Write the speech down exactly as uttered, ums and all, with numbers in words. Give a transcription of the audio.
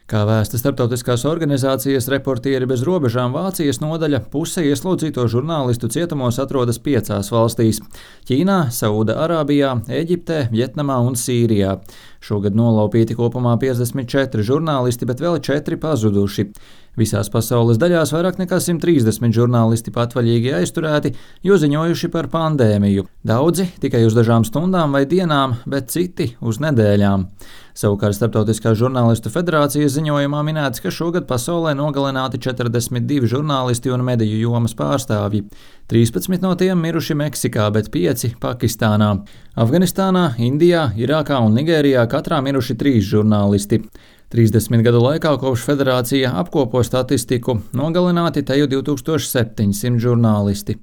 Kā vēsta starptautiskās organizācijas Reportieri bez robežām Vācijas nodaļa, puse ieslodzīto žurnālistu cietumos atrodas piecās valstīs - Ķīnā, Saūda-Arābijā, Ēģiptē, Vjetnamā un Sīrijā. Šogad nolaupīti kopumā piecdesmit četri žurnālisti, bet vēl četri pazuduši. Visās pasaules daļās vairāk nekā simt trīsdesmit žurnālisti patvaļīgi aizturēti, jo ziņojuši par pandēmiju. Daudzi tikai uz dažām stundām vai dienām, bet citi uz nedēļām. Savukārt Starptautiskās žurnālistu federācijas ziņojumā minēts, ka šogad pasaulē nogalināti četrdesmit divi žurnālisti un mediju jomas pārstāvji. trīspadsmit no tiem miruši Meksikā, bet pieci Pakistānā. Afganistānā, Indijā, Irākā un Nigērijā katrā miruši trīs žurnālisti. trīsdesmit gadu laikā, kopš federācija apkopo statistiku, nogalināti te jau divtūkstoš septiņsimt žurnālisti.